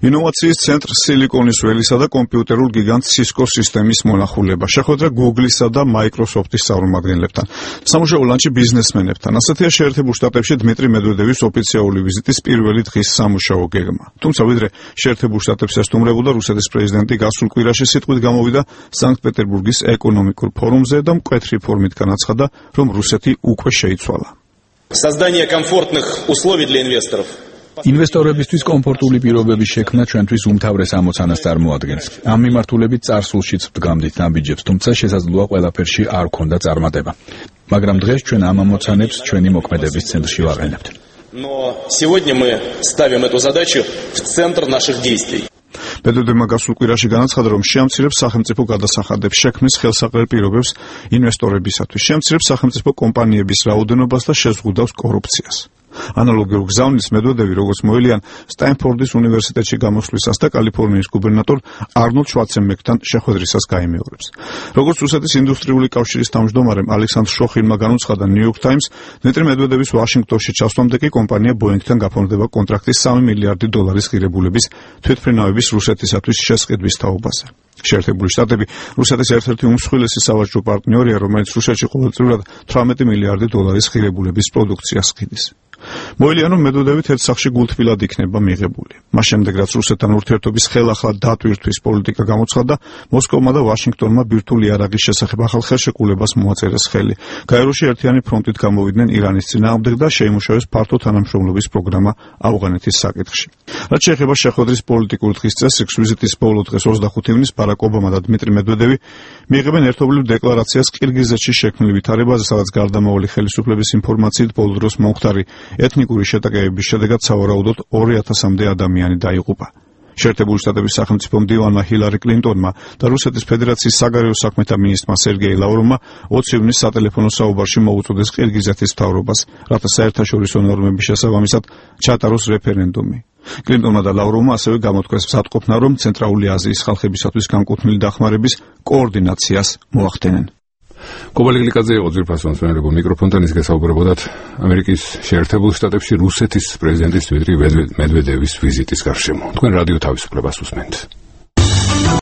ინოვაციის ცენტრ სილიკონის ველისა და კომპიუტერულ გიგანტ Cisco სისტემის მონახულება. შეხვედრა Google-ისა და Microsoft-ის წარმომადგენლებთან. სამუშაო ლანჩი ბიზნესმენებთან. ასეთია შეერთებულ შტატებში დმიტრი მედვედევის ოფიციალური ვიზიტის პირველი დღის სამუშაო გეგმა. თუმცა ვიდრე შეერთებულ შტატებს ესტუმრებოდა, რუსეთის პრეზიდენტი გასულ კვირაში სიტყვით გამოვიდა სანქტ-პეტერბურგის ეკონომიკურ ფორუმზე და მკვეთრი ფორმით განაცხადა, რომ რუსეთი უკვე შეიცვალა. Создание комфортных условий для инвесторов. ინვესტორებისთვის კომფორტული პირობების შექმნა ჩვენთვის უმთავრეს ამოცანას წარმოადგენს. ამ მიმართულებით წარსულშიც ვდგამდით ნაბიჯებს, თუმცა შესაძლოა ყველაფერში არ ქონდა წარმატება. მაგრამ დღეს ჩვენ ამ ამოცანებს ჩვენი მოქმედების ცენტრში ვაყენებთ. Но сегодня мы ставим эту задачу в центр наших действий. მედვედევმა გასულ კვირაში განაცხადა, რომ შეამცირებს სახელმწიფო გადასახადებს შექმნის ხელსაყრელ პირობებს ინვესტორებისათვის, შეამცირებს სახელმწიფო კომპანიების რაოდენობას და შეზღუდავს კორუფციას. ანალოგიურ გზავნილს მედვედევი, როგორც მოელიან სტაინფორდის უნივერსიტეტში გამოსვლისას და კალიფორნიის გუბერნატორ არნოლდ შვარცენბერგთან შეხვედრისას გაიმეორებს. როგორც რუსეთის ინდუსტრიული კავშირის თავმჯდომარემ ალექსანდრ შოხინმა განუცხადა New York Times, დმიტრი მედვედევის ვაშინგტონში ჩასვლამდე კი კომპანია Boeing-თან გაფორმდება კონტრაქტის $3 მილიარდი ღირებულების თვითმფრინავების რუსეთისათვის შესყიდვის თაობაზე. შეერთებული შტატები რუსეთის ერთ-ერთი უმსხვილესი სავაჭრო პარტნიორია, რომელიც რუსეთში ყოველწლიურად $18 მილიარდი ღირებულების პროდუქციას ხდის. მოელიან, რომ მედვედევით ერთ სახში გულთბილად იქნება მიღებული. მას შემდეგ, რაც რუსეთთან ურთიერთობის ხელახლა დატვირთვის პოლიტიკა გამოცხადდა, მოსკოვმა და ვაშინგტონმა ბირთვული იარაღის შესახებ ახალ ხელშეკრულებას მოაწერეს ხელი. გაეროში ერთიანი ფრონტით გამოვიდნენ ირანის წინააღმდეგ და შეიმუშავეს ფართო თანამშრომლობის პროგრამა ავღანეთის საკითხში. რაც შეეხება შეხვედრის პოლიტიკურ დღის წესრიგს, ვიზიტის ბოლო დღეს 25 ივნისს ბარაკ ობამა და დმიტრი მედვედევი მიიღებენ ერთობლივ декларაციას ყირგიზეთში შექმნილ ვითარებაზე, სადაც გარდამავალი ხელისუფლების ინფორმაციით ბოლო დროს მომხდარი ეთნიკური შეტაკებების შედეგად სავარაუდოდ 2000-მდე ადამიანი დაიღუპა. შეერთებული შტატების სახელმწიფო მდივანმა ჰილარი კლინტონმა და რუსეთის ფედერაციის საგარეო საქმეთა მინისტრმა სერგეი ლავროვმა 20 ივნისს სატელეფონო საუბარში მოუწოდეს ყირგიზეთის მთავრობას, რათა საერთაშორისო ნორმების შესაბამისად ჩატაროს რეფერენდუმი. კლინტონმა და ლავროვმა ასევე გამოთქვეს მსატყოფნა, რომ ცენტრალური აზიის ხალხებისათვის განკუთვნილი დახმარების კოორდინაციას მოახდენენ. კობალი გლიკაძე იყო ძვირფასოვან მსმენელებო მიკროფონთან, ის გასაუბრებოდათ ამერიკის შეერთებულ შტატებში რუსეთის პრეზიდენტის დმიტრი მედვედევის ვიზიტის გარშემო. თქვენ რადიო თავისუფლებას უსმენთ.